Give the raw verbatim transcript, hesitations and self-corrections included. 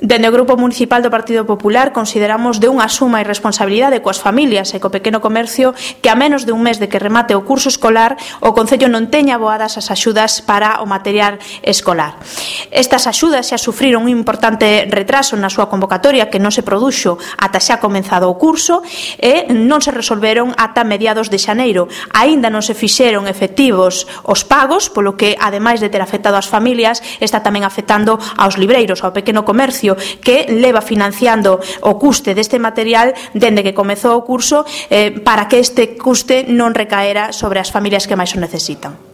Dende o Grupo Municipal do Partido Popular consideramos de unha suma irresponsabilidade coas familias e co pequeno comercio que a menos de un mes de que remate o curso escolar o Concello non teña aboadas as axudas para o material escolar. Estas axudas xa sufriron un importante retraso na súa convocatoria que non se produxo ata xa comenzado o curso e non se resolveron ata mediados de xaneiro. Aínda non se fixeron efectivos os pagos, polo que, ademais de ter afectado as familias, está tamén afectando aos libreiros, ao pequeno comercio, que leva financiando o custe deste material dende que comezou o curso eh, para que este custe non recaera sobre as familias que máis o necesitan.